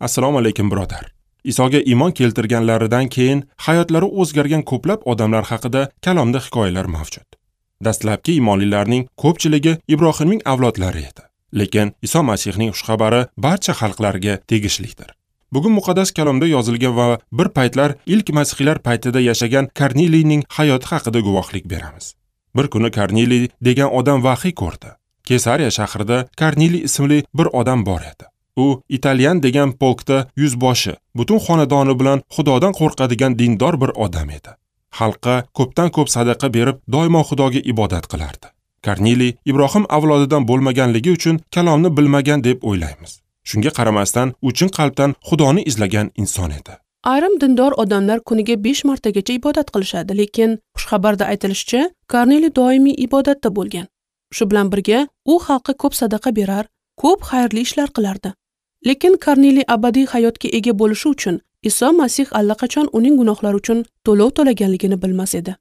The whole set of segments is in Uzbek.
Assalomu alaykum, birodar. Isoga iymon keltirganlaridan keyin hayotlari o'zgargan ko'plab odamlar haqida kalomda hikoyalar mavjud. Dastlabki iymonlilarning ko'pchiligi Ibrohimning avlodlari edi. Lekin Iso Masihning xushxabari barcha xalqlarga tegishlidir. Bugun muqaddas kalomda yozilgan va bir paytlar ilk masihiylar paytida yashagan Korneliyning hayoti haqida guvohlik beramiz. Bir kuni Korneliy degan odam vahiy ko'rdi. Kesariya shahrida Korneliy ismli bir odam bor edi. U Italyan degan polkda yuzboshi, butun xonadoni bilan Xudodan qo'rqadigan dindor bir odam edi. Xalqqa ko'pdan ko'p sadaqa berib, doimo Xudoga ibodat qilardi. Korneliy Ibrohim avlodidan bo'lmaganligi uchun kalomni bilmagan deb o'ylaymiz. Shunga qaramasdan, u chin qalbdan Xudoni izlagan inson edi. Ayrim dindor odamlar kuniga 5 martagacha ibodat qilishadi, lekin xushxabarda aytilishicha, Korneliy doimiy ibodatda bo'lgan. Shu bilan birga, u xalqqa ko'p sadaqa berar, ko'p xayrli ishlar qilardi. Lekin Korneliy abadiy hayotga ega bo'lishi uchun Iso Masih allaqachon uning gunohlari uchun to'lov to'laganligini bilmas edi.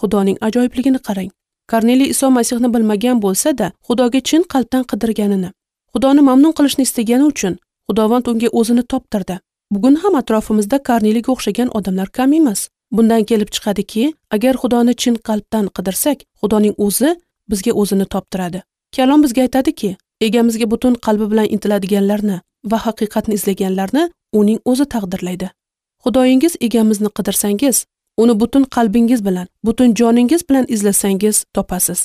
Xudoning ajoyibligini qarang. Korneliy Iso Masihni bilmagan bo'lsa-da, Xudoga chin qalbdan qidirganini, Xudoni mamnun qilishni istagani uchun Xudovand unga o'zini toptirdi. Bugun ham atrofimizda Korneliyga o'xshagan odamlar kam emas. Bundan kelib chiqadiki, agar Xudoni chin qalbdan qidirsak, Xudoning o'zi bizga o'zini toptiradi. Kalom bizga aytadiki, egamizga butun qalbi bilan intiladiganlarni va haqiqatni izlaganlarni uning o'zi taqdirlaydi. Xudoyingiz egamizni qidirsangiz, uni butun qalbingiz bilan, butun joningiz bilan izlasangiz topasiz.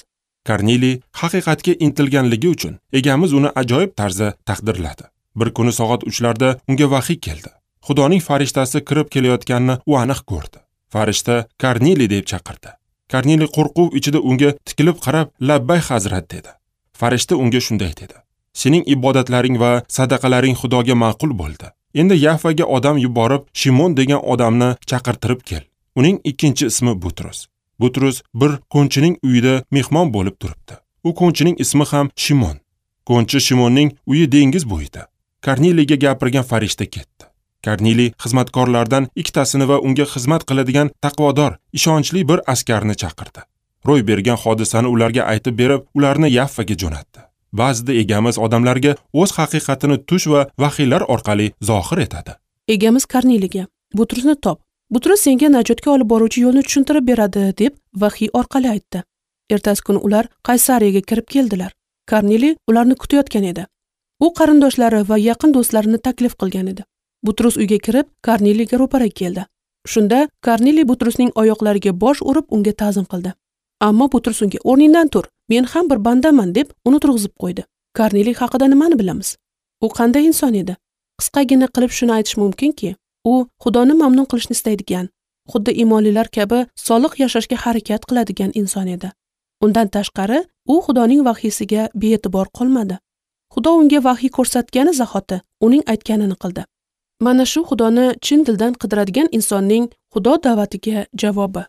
Korneliy haqiqatga intilganligi uchun egamiz uni ajoyib tarzda taqdirladi. Bir kuni soat 3larda unga vahiy keldi. Xudoning farishtasi kirib kelayotganini u aniq ko'rdi. Farishta Korneliy deb chaqirdi. Korneliy qo'rquv ichida unga tikilib qarab, "Labbay hazrat" dedi. Farishta unga shunday dedi: "Sening ibodatlaring va sadaqalaring Xudoga ma'qul bo'ldi. Endi Yafaga odam yuborib, Shimon degan odamni chaqirtirib kel. Uning ikkinchi ismi Butrus. Butrus bir ko'nchining uyida mehmon bo'lib turibdi. U ko'nchining ismi ham Shimon. Ko'nchi Shimonning uyi dengiz bo'yida." Korneliyga gapirgan farishta ketdi. Korneliy xizmatkorlardan ikkitasini va unga xizmat qiladigan taqvodor, ishonchli bir askarni chaqirdi. Ro'y bergan hodisani ularga aytib berib, ularni Yaffaga jo'natdi. Ba'zida egamiz odamlarga o'z haqiqatini tush va vahiylar orqali zohir etadi. Egamiz Korneliyga: "Butrusni top. Butrus senga najotga olib boruvchi yo'lni tushuntirib beradi" deb vahiy orqali aytdi. Ertasi kuni ular Qaysariyaga kirib keldilar. Korneliy ularni kutayotgan edi. U qarindoshlari va yaqin do'stlarini taklif qilgan edi. Butrus uyga kirib, Korneliyga ro'para keldi. Shunda Korneliy Butrusning oyoqlariga bosh urib unga ta'zim qildi. Ammo Butrus unga: "O'rningdan tur, men ham bir bandaman" deb uni turg'izib qo'ydi. Korneliy haqida nimani bilamiz? U qanday inson edi? Qisqagina qilib shuni aytish mumkinki, u Xudoni mamnun qilishni istaydigan, xuddi iymonlilar kabi solih yashashga harakat qiladigan inson edi. Undan tashqari, u Xudoning vahiysiga bee'tibor qolmadi. Xudo unga vahiy ko'rsatgani zahoti uning aytganini qildi. Mana shu Xudoni chin dildan qidiradigan insonning Xudo da'vatiga javobi.